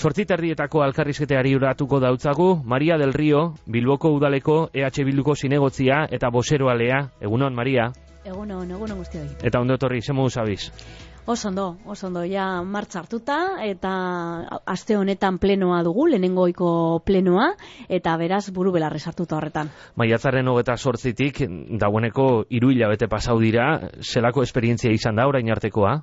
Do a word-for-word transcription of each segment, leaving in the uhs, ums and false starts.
Zortzi terdietako alkarrizketeari uratuko dautzagu, Maria del Río, Bilboko udaleko E H Bilduko zinegotzia eta boseroalea. Egunon, Maria? Egunon, egunon guztioi. Eta ondo etorri, zemu zabiz? Osondo, osondo, ja martxa hartuta, eta aste honetan plenoa dugu, lehenengoiko plenoa, eta beraz buru belarri sartuta horretan. Maiatzaren hogeta sortzitik, dagoeneko hiru hilabete pasau dira, zelako esperientzia izan da orain artekoa?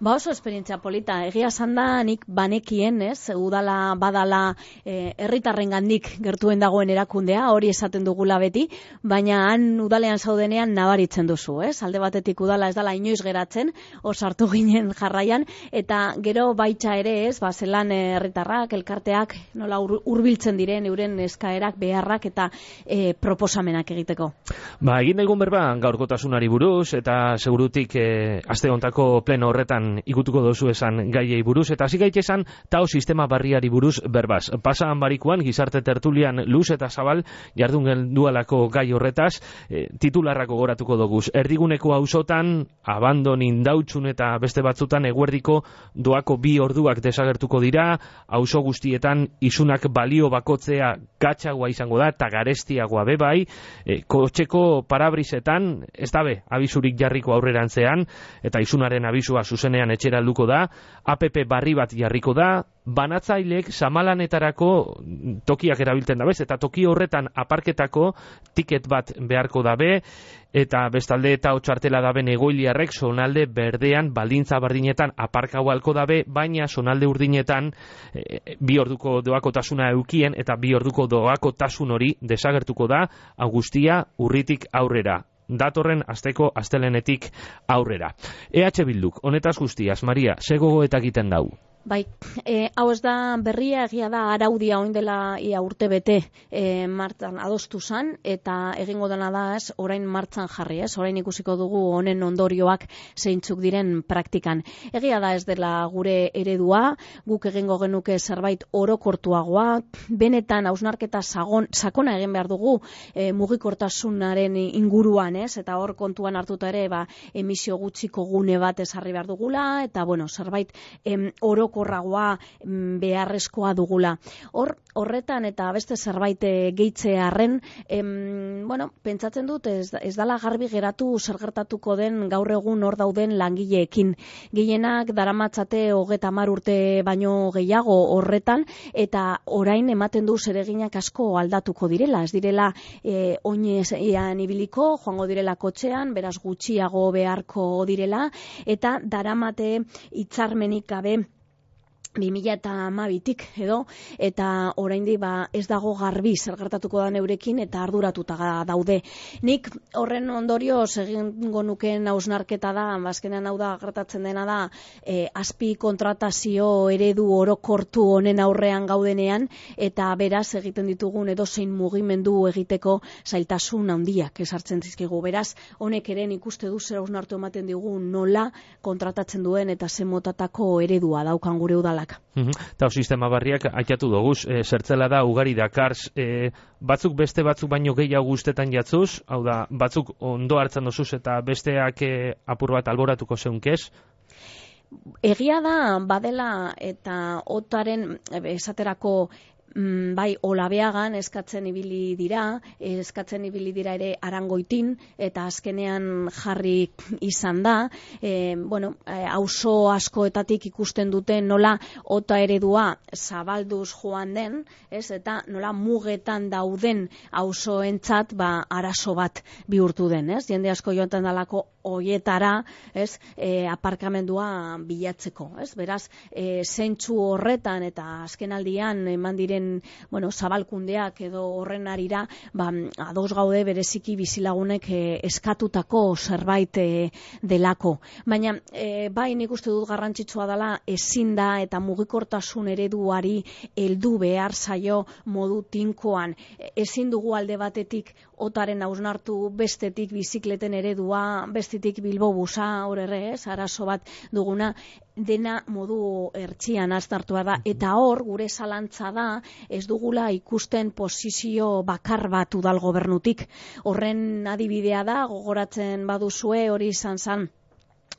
Ba oso esperientzia polita, egia esan da nik banekien, ez, udala badala e, herritarrengandik gertuen dagoen erakundea, hori esaten dugula beti, baina han udalean zaudenean nabaritzen duzu, ez? Alde batetik udala ez dala inoiz geratzen, osartu ginen jarraian, eta gero baitza ere, ez, ba, zelan herritarrak, elkarteak, nola hurbiltzen diren euren eskaerak, beharrak eta e, proposamenak egiteko. Ba, egin egun berba gaurkotasunari buruz, eta segurutik e, aste hontako pleno horretan ikutuko dozu esan gaiei buruz, eta hasi gaitezen tao sistema barriari buruz berbaz. Pasaan barikuan, gizarte tertulian luz eta zabal jardun gendualako gai horretaz, e, titularrako goratuko doguz. Erdiguneko auzotan, abandon indautxun eta beste batzutan eguerdiko doako bi orduak desagertuko dira, auzo guztietan isunak balio bakotzea gatxagoa izango da, eta garestiagoa bebai, e, kotxeko parabrisetan, ez dabe, abizurik jarriko aurrerantzean, eta isunaren abizua zuzenean etxera helduko da, app barri bat jarriko da, banatzaileek samalanetarako tokiak erabiltzen dabez, eta toki horretan aparketako tiket bat beharko dabe, eta bestalde eta otxartela daben egoiliarrek zonalde berdean baldintza bardinetan aparkau alko dabe, baina zonalde urdinetan e, bi orduko doakotasuna eukien, eta bi orduko doakotasun hori desagertuko da, Agustia urritik aurrera. Datorren asteko astelenetik aurrera. E H Bilduk, honetaz guztiaz, Maria, ze gogoeta egiten dau? Bai, e, hau ez da berria, egia da araudia oin dela ia urte bete e, martzan adostu zan, eta egingo dena da ez, orain martzan jarri ez, orain ikusiko dugu honen ondorioak zeintzuk diren praktikan. Egia da ez dela gure eredua, guk egingo genuke zerbait orokortuagoa, benetan hausnarketa sakona egin behar dugu e, mugikortasunaren inguruan ez, eta hor kontuan hartuta ere ba, emisio gutxiko gune bat ezarri behar dugula, eta bueno, zerbait em, oro korragoa beharrezkoa dugula. Hor, horretan eta beste zerbait gehitzearren, em, bueno, pentsatzen dut ez, ez dala garbi geratu zer gertatuko den gaur egun hor dauden langileekin. Gehienak daramatzate hogeta hamar urte baino gehiago horretan, eta orain ematen du zereginak asko aldatuko direla. Ez direla e, oinean ibiliko, joango direla kotxean, beraz gutxiago beharko direla, eta daramate hitzarmenik gabe bi mila hamabitik edo, eta oraindik ba ez dago garbi zer gertatuko da eurekin eta arduratuta daude. Nik horren ondorioz egingo nukeen hausnarketa da, azkenean hau da gertatzen dena da, e, azpi kontratazio eredu orokortu honen aurrean gaudenean, eta beraz egiten ditugun edozein mugimendu egiteko zailtasun handiak esartzen dizkigu. Beraz, honek ere ikuste du zer hausnartu ematen digu nola kontratatzen duen eta ze motatako eredua daukan gure udala. Eta sistema barriak aitatu doguz, e, zertzela da ugari dakarz, e, batzuk beste batzuk baino gehiago guztetan jatzuz, hau da, batzuk ondo hartzen dozuz eta besteak e, apur bat alboratuko zeunkez? Egia da, badela eta otaren esaterako Mm, bai, Olabeagan eskatzen ibili dira, eskatzen ibili dira ere Arangoitin, eta azkenean jarri izan da, e, bueno, auzo askoetatik ikusten dute nola ota eredua zabalduz joan den, ez, eta nola mugetan dauden auzoentzat ba arazo bat bihurtu den, ez, jende asko joaten dalako hoietara, ez, e, aparkamendua bilatzeko, ez, beraz, e, zentzu horretan eta azkenaldian eman diren bueno, zabalkundeak edo horren arira, ba, ados gaude bereziki bizilagunek eh, eskatutako zerbait eh, delako. Baina, eh, bai nik uste dut garrantzitsua dela ezin da eta mugikortasun ereduari heldu behar zaio modu tinkoan. Ezin dugu alde batetik otaren hausnartu, bestetik bizikleten eredua, bestetik Bilbobusa, hor ere, ez, arazo bat duguna, dena modu ertzian aztartua da, eta hor gure zalantza da ez dugula ikusten posizio bakar bat udal gobernutik. Horren adibidea da, gogoratzen baduzue hori izan zan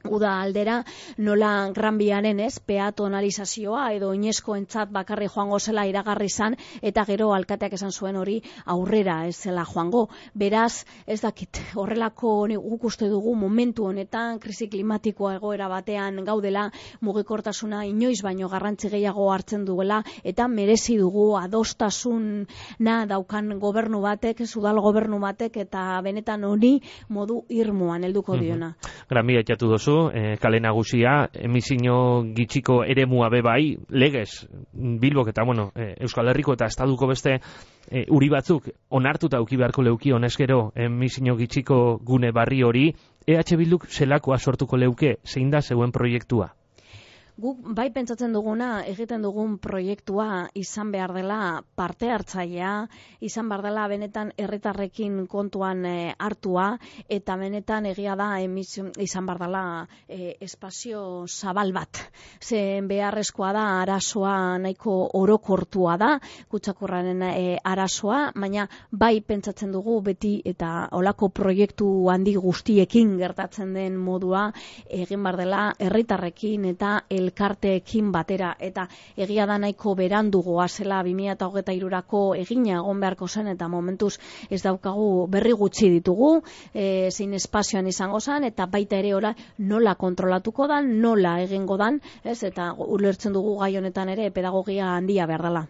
uda aldera, nola Gran Biaren ez, peatonalizazioa edo oinezkoentzat bakarri joango zela iragarri zan, eta gero alkateak esan zuen hori aurrera ez zela joango. Beraz, ez dakit, horrelako guk uste dugu momentu honetan, krisi klimatikoa egoera batean gaudela, mugikortasuna inoiz baino garrantzi gehiago hartzen duela, eta merezi dugu adostasuna daukan gobernu batek, udal gobernu batek, eta benetan honi modu irmoan helduko diona. Mm-hmm. Gran Bia etxatu dozu, E, kale nagusia, emisio gitxiko eremua bebai, legez, Bilbok eta, bueno, e, Euskal Herriko eta Estaduko beste e, uri batzuk onartuta uki beharko leuki honezkero emisio gitxiko gune barri hori, E H Bilduk zelakoa sortuko leuke, zein da zeuen proiektua? Guk bai pentsatzen duguna, egiten dugun proiektua izan behar dela parte hartzailea, izan behar dela benetan herritarrekin kontuan e, hartua, eta benetan egia da emisio, izan behar dela e, espazio zabal bat. Zen beharrezkoa da arazoa nahiko orokortua da, kutsakurraren e, arazoa, baina bai pentsatzen dugu beti eta olako proiektu handi guztiekin gertatzen den modua egin behar dela herritarrekin eta elkarteekin batera, eta egia da nahiko berandu goazela bi mila hogeita hirurako egina egon beharko zen, eta momentuz ez daukagu berri gutxi ditugu, e, zein espazioan izango zen, eta baita ere ora nola kontrolatuko dan, nola egingo dan, ez, eta ulertzen dugu gai honetan ere pedagogia handia behar dela.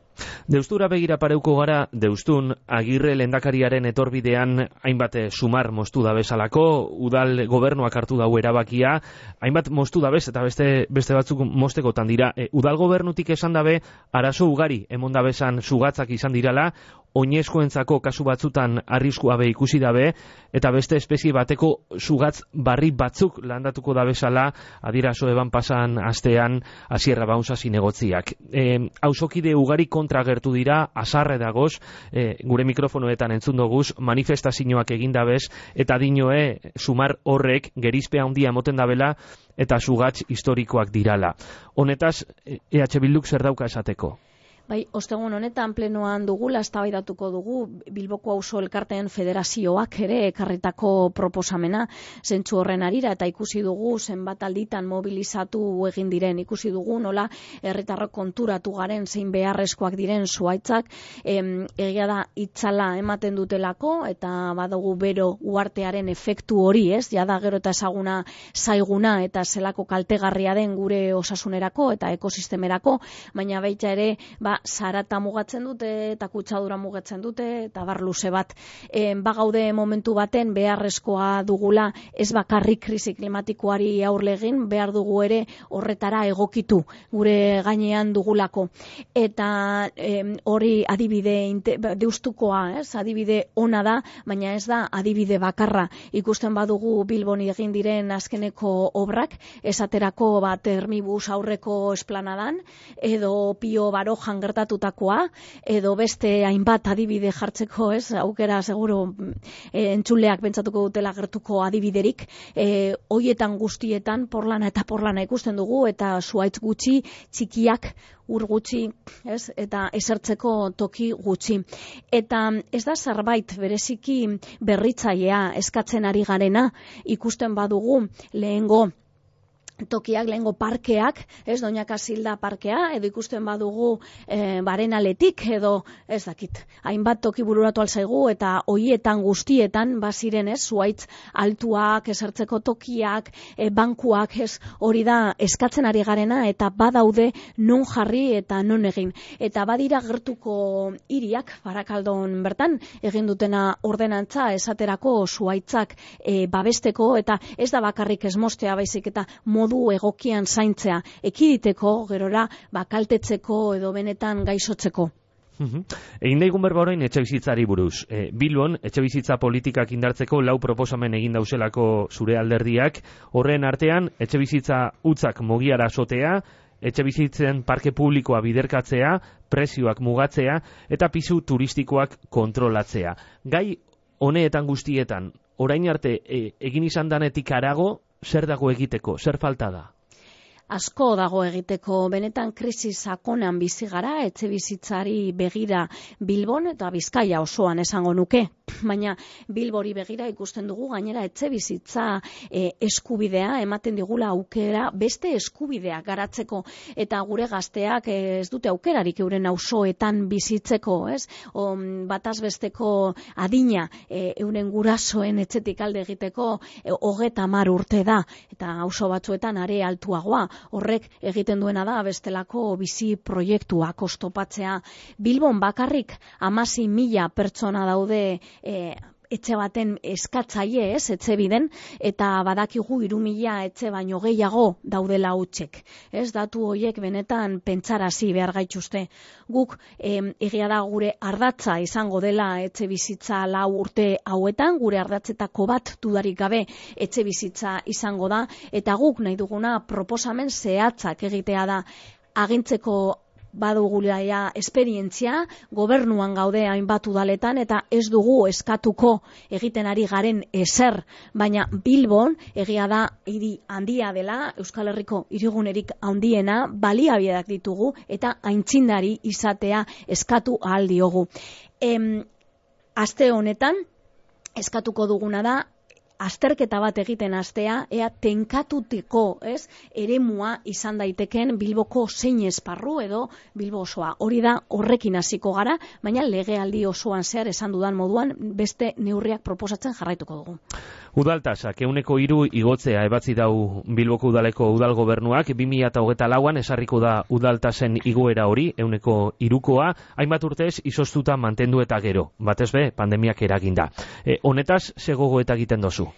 Deustura begira pareuko gara, deustun Agirre lehendakariaren etorbidean hainbat sumar moztu da bezalako, udal gobernuak hartu dau erabakia, hainbat moztu da bez, eta beste, beste batzuk mostekotan dira. E, udal gobernutik esan dabe, arazo ugari emon da bezan sugatzak izan dirala, oinezkoentzako kasu batzutan arriskua be ikusi dabe, eta beste espezie bateko sugatz barri batzuk landatuko da bezala, adirazo eban pasan astean Asierra Baunza zinegotziak. E, hausokide ugari kontra gertu dira, asarre dagoz, e, gure mikrofonoetan entzun doguz, manifestazioak egin dabez, eta dinoe sumar horrek gerizpea handia moten dabela, eta sugatz historikoak dirala. Honetaz, E H Bilduk zer dauka esateko? Bai, ostegun honetan plenoan dugula, eztabaidatuko dugu Bilboko Auzo Elkarteen Federazioak ere ekarritako proposamena zentzu horren arira, eta ikusi dugu zenbat alditan mobilizatu egin diren, ikusi dugu nola herritarrok konturatu garen zein beharrezkoak diren zuaitzak, em, egia da itzala ematen dutelako, eta badugu bero uartearen efektu hori, ez, jada gero eta ezaguna zaiguna eta zelako kaltegarria den gure osasunerako eta ekosistemerako, baina baita ere, ba, zarata mugatzen dute eta kutsadura mugatzen dute eta bar luze bat. E, bagaude momentu baten beharrezkoa dugula ez bakarrik krisi klimatikoari aurre egin, behar dugu ere horretara egokitu gure gainean dugulako. Eta e, hori adibide deustukoa, ez, adibide ona da, baina ez da adibide bakarra. Ikusten badugu Bilbon egin diren azkeneko obrak, esaterako bat Termibus aurreko esplanadan, edo Pio Barojan gertatutakoa, edo beste hainbat adibide jartzeko, ez, aukera seguru e, entzuleak pentsatuko dutela gertuko adibiderik, e, hoietan guztietan porlana eta porlana ikusten dugu, eta zuaitz gutxi, txikiak, ur gutxi, ez, eta esertzeko toki gutxi. Eta ez da zerbait bereziki berritzailea eskatzen ari garena, ikusten badugu lehengo tokiak, lehengo parkeak, ez, Doña Casilda parkea, edo ikusten badugu e, Barenaletik, edo ez dakit, hainbat toki bururatu alzaigu, eta hoietan guztietan baziren, ez, zuaitz altuak, esertzeko tokiak, e, bankuak, ez, hori da eskatzen ari garena, eta badaude non jarri eta non egin. Eta badira gertuko hiriak, Barakaldon bertan, egin dutena ordenantza esaterako zuaitzak e, babesteko, eta ez da bakarrik ez mostea baizik, eta modu egokian zaintzea, ekiditeko, gerora, bakaltetzeko edo benetan gaizotzeko. Uhum. Egin daigun berba orain etxe bizitzari buruz. E, Bilbon, etxe bizitza politikak indartzeko lau proposamen egin dauzelako zure alderdiak, horren artean, etxe bizitza utzak mogiara sotea, etxe bizitzen parke publikoa biderkatzea, prezioak mugatzea, eta pisu turistikoak kontrolatzea. Gai honeetan guztietan, orain arte e, egin izan danetik harago, zer dago egiteko, zer falta da? Asko dago egiteko, benetan krisi sakonan bizi gara, etxe bizitzari begira Bilbon eta Bizkaia osoan esango nuke. baina Bilbori begira ikusten dugu gainera etxe bizitza e, eskubidea ematen digula aukera beste eskubidea garatzeko eta gure gazteak ez dute aukerarik euren auzoetan bizitzeko, ez? O, bataz besteko adina e, euren gurasoen etxetik alde egiteko e, hogeta hamar urte da eta auzo batzuetan are altuagoa. Horrek egiten duena da bestelako bizi proiektuak oztopatzea. Bilbon bakarrik hamasei mila pertsona daude e, etxe baten eskatzaile, ez, etxe biden, eta badakigu hiru mila etxe baino gehiago daudela hutsek. Ez, datu horiek benetan pentsarazi behar gaituzte. Guk em, egia da gure ardatza izango dela etxe bizitza lau urte hauetan, gure ardatzetako bat dudarik gabe etxe bizitza izango da, eta guk nahi duguna proposamen zehatzak egitea da agintzeko badugulaia esperientzia, gobernuan gaude hainbat udaletan eta ez dugu eskatuko egiten ari garen ezer, baina Bilbon egia da hiri handia dela, Euskal Herriko hirigunerik handiena, baliabideak ditugu eta aintzindari izatea eskatu ahal diogu. Em, aste honetan eskatuko duguna da azterketa bat egiten hastea, ea tenkatuteko, ez, eremua izan daiteken Bilboko zein esparru edo Bilbo osoa. Hori da horrekin hasiko gara, baina legealdi osoan zehar esan dudan moduan beste neurriak proposatzen jarraituko dugu. Udaltasak ehuneko hiru igotzea ebatzi dau Bilboko udaleko udal gobernuak bi mila hogeita lauan esarriko da udaltasen igoera hori ehuneko hirukoa, hainbat urtez izoztuta mantendu eta gero, batez be pandemiak eraginda. E, honetaz ze gogoeta egiten dozu?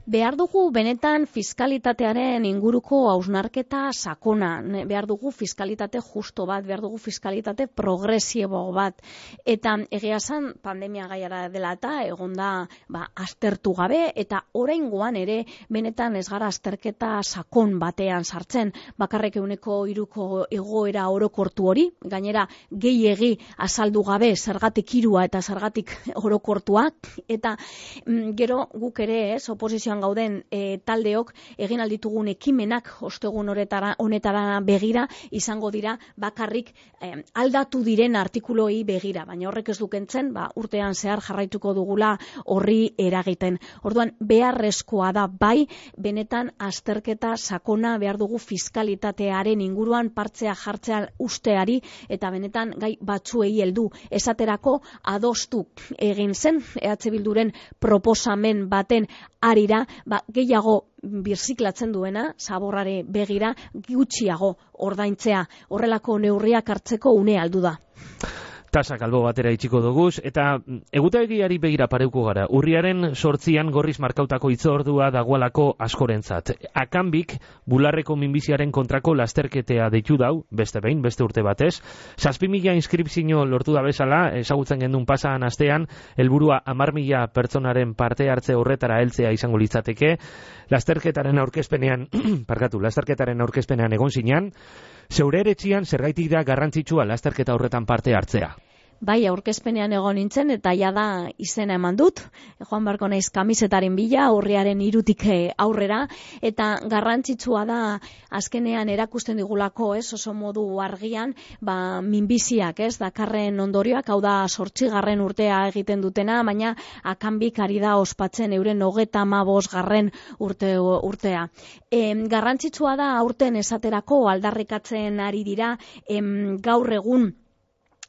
Behar dugu benetan fiskalitatearen inguruko hausnarketa sakona, behar dugu fiskalitate justo bat, behar dugu fiskalitate progresibo bat, eta egia esan pandemia gaiara dela eta egonda ba, aztertu gabe, eta oraingoan ere benetan ez gara azterketa sakon batean sartzen, bakarrek ehuneko hiruko egoera orokortu hori, gainera gehiegi azaldu gabe zergatik hirua eta zergatik orokortua, eta mm, gero guk ere ez, oposizioan gauden e, taldeok egin alditugun ekimenak ostegun honetara honetara begira izango dira bakarrik e, aldatu diren artikuloi begira, baina horrek ez dukentzen, ba, urtean zehar jarraituko dugula horri eragiten. Orduan beharrezkoa da bai benetan azterketa sakona behar dugu fiskalitatearen inguruan partzea jartzea usteari eta benetan gai batzuei heldu esaterako adostu egin zen E H Bilduren proposamen baten arira, ba, gehiago birziklatzen duena, zaborrare begira, gutxiago ordaintzea, horrelako neurriak hartzeko une aldu da. Tasak albo batera itxiko doguz, eta egutegiari begira pareuko gara. Urriaren sortzian gorriz markautako hitzordua dagoalako askorentzat. Akanbik, bularreko minbiziaren kontrako lasterketea deitu dau, beste behin, beste urte batez. Zazpi mila inskripzio lortu da bezala, ezagutzen gendun pasaan astean, helburua hamar mila pertsonaren parte hartze horretara heltzea izango litzateke. Lasterketaren aurkezpenean, parkatu, lasterketaren aurkezpenean egon zinean, zeure eretzian zergaitik da garrantzitsua lasterketa horretan parte hartzea? Bai, aurkezpenean egon nintzen eta ja da izena eman dut. Joan barko naiz kamisetaren bila, urriaren hirutik aurrera, eta garrantzitsua da azkenean erakusten digulako, ez, oso modu argian, ba, minbiziak, ez, dakarren ondorioak, hau da zortzigarren urtea egiten dutena, baina akanbik ari da ospatzen euren hogeta hamabost garren urte, urtea. E, garrantzitsua da aurten esaterako aldarrikatzen ari dira, em, gaur egun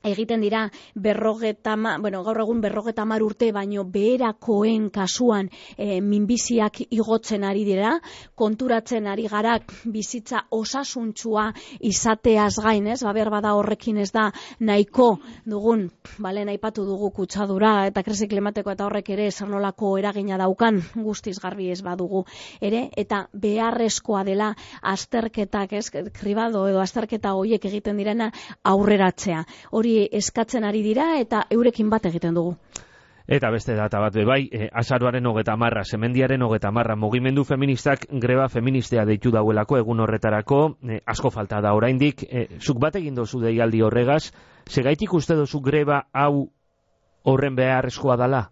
egiten dira berrogeta, bueno, gaur egun berrogeta hamar urte baino beherakoen kasuan e, minbiziak igotzen ari dira, konturatzen ari gara bizitza osasuntsua izateaz gain, ez, baber bada horrekin ez da nahiko dugun, bale, naipatu dugu kutsadura eta krisi klimatiko eta horrek ere zernolako eragina daukan guztiz garbi ez badugu ere, eta beharrezkoa dela azterketak, ez, kribado edo azterketa horiek egiten direna aurreratzea. Hori eskatzen ari dira eta eurekin bat egiten dugu. Eta beste data bat bebai, e, azaroaren hogeta marra, semendiaren hogeta marra, mugimendu feministak greba feministea deitu dauelako egun horretarako, e, asko falta da oraindik, e, zuk bat egin dozu deialdi horregaz, segaitik uste dozu greba hau horren beharrezkoa dala?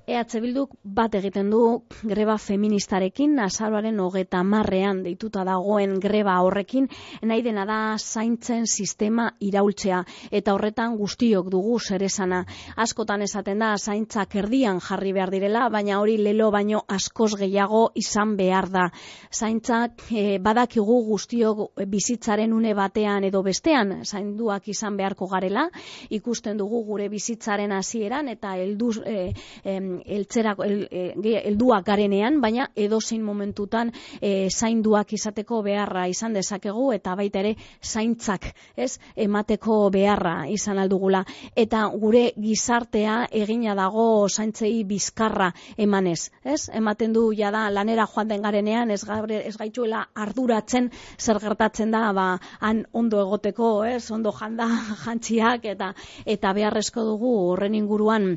E H Bilduk bat egiten du greba feministarekin, azaroaren hogeta marrean deituta dagoen greba horrekin, nahi dena da zaintzen sistema iraultzea, eta horretan guztiok dugu zeresana. Askotan esaten da zaintzak erdian jarri behar direla, baina hori lelo baino askoz gehiago izan behar da. Zaintzak e, badakigu guztiok bizitzaren une batean edo bestean zainduak izan beharko garela, ikusten dugu gure bizitzaren hasieran eta heldu e, e, eltzerako el, e, helduak garenean, baina edozein momentutan e, zainduak izateko beharra izan dezakegu eta baita ere zaintzak, ez, emateko beharra izan aldugula. Eta gure gizartea egina dago zaintzei bizkarra emanez, ez? Ematen du jada lanera joan den garenean ez, gabre, ez gaituela arduratzen zer gertatzen da ba, han ondo egoteko, ez? Ondo janda jantziak eta eta beharrezko dugu horren inguruan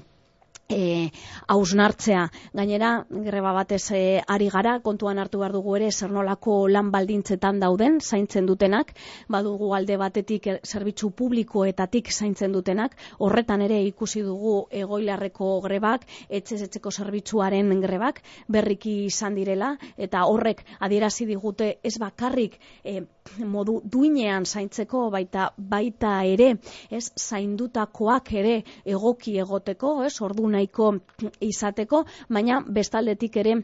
E, hausnartzea. Gainera, greba batez e, ari gara, kontuan hartu behar dugu ere zer nolako lan baldintzetan dauden zaintzen dutenak, badugu alde batetik er, zerbitzu publikoetatik zaintzen dutenak, horretan ere ikusi dugu egoilarreko grebak, etxez etxeko zerbitzuaren grebak, berriki izan direla, eta horrek adierazi digute ez bakarrik e, modu duinean zaintzeko, baita baita ere, ez zaindutakoak ere egoki egoteko, ez ordu nahiko izateko, baina bestaldetik ere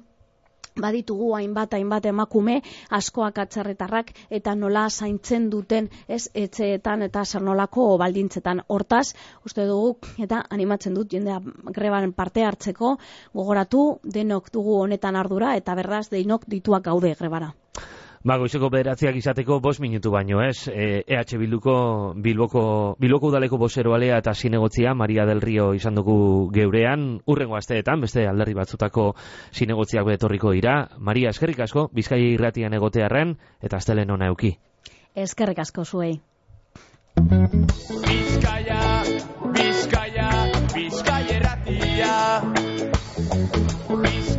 baditugu hainbat hainbat emakume askoak atzerritarrak eta nola zaintzen duten ez etxeetan eta zer nolako baldintzetan. Hortaz, uste dugu eta animatzen dut jendea greban parte hartzeko, gogoratu denok dugu honetan ardura eta beraz denok dituak gaude grebara. Ba, goizeko bederatziak izateko bost minutu baino, ez? E, EH Bilduko, Bilboko, Bilboko udaleko bozeroalea eta zinegotzia, Maria del Rio izan dugu geurean, urrengo asteetan, beste alderri batzutako zinegotziak betorriko dira. Maria, eskerrik asko, Bizkaia irratian egotearren, eta astelen ona euki. Eskerrik asko zuei. Bizkaia, Bizkaia, Bizkaia irratia. Bizkaia.